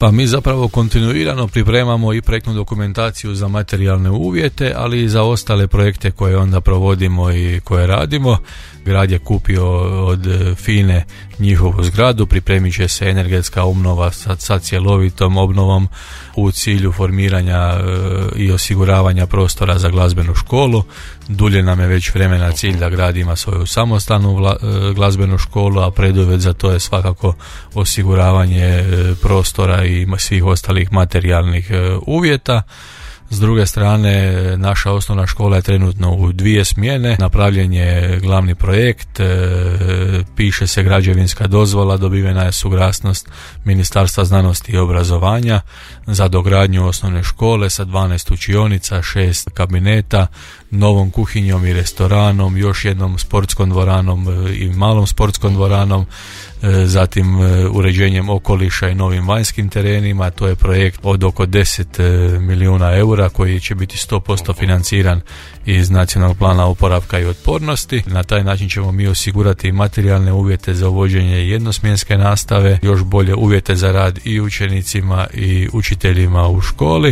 Pa mi zapravo kontinuirano pripremamo i projektnu dokumentaciju za materijalne uvjete, ali i za ostale projekte koje onda provodimo i koje radimo. Grad je kupio od FINA-e njihovu zgradu, pripremit će se energetska obnova sa cjelovitom obnovom u cilju formiranja i osiguravanja prostora za glazbenu školu. Dulje nam je već vremena cilj da grad ima svoju samostalnu glazbenu školu, a preduvjet za to je svakako osiguravanje prostora i svih ostalih materijalnih uvjeta. S druge strane, naša osnovna škola je trenutno u 2 smjene, napravljen je glavni projekt, piše se građevinska dozvola, dobivena je suglasnost Ministarstva znanosti i obrazovanja za dogradnju osnovne škole sa 12 učionica, 6 kabineta, novom kuhinjom i restoranom, još jednom sportskom dvoranom i malom sportskom dvoranom, zatim uređenjem okoliša i novim vanjskim terenima. To je projekt od oko 10 milijuna eura koji će biti 100% financiran iz Nacionalnog plana oporavka i otpornosti. Na taj način ćemo mi osigurati materijalne uvjete za uvođenje jednosmjenske nastave, još bolje uvjete za rad i učenicima i učiteljima u školi.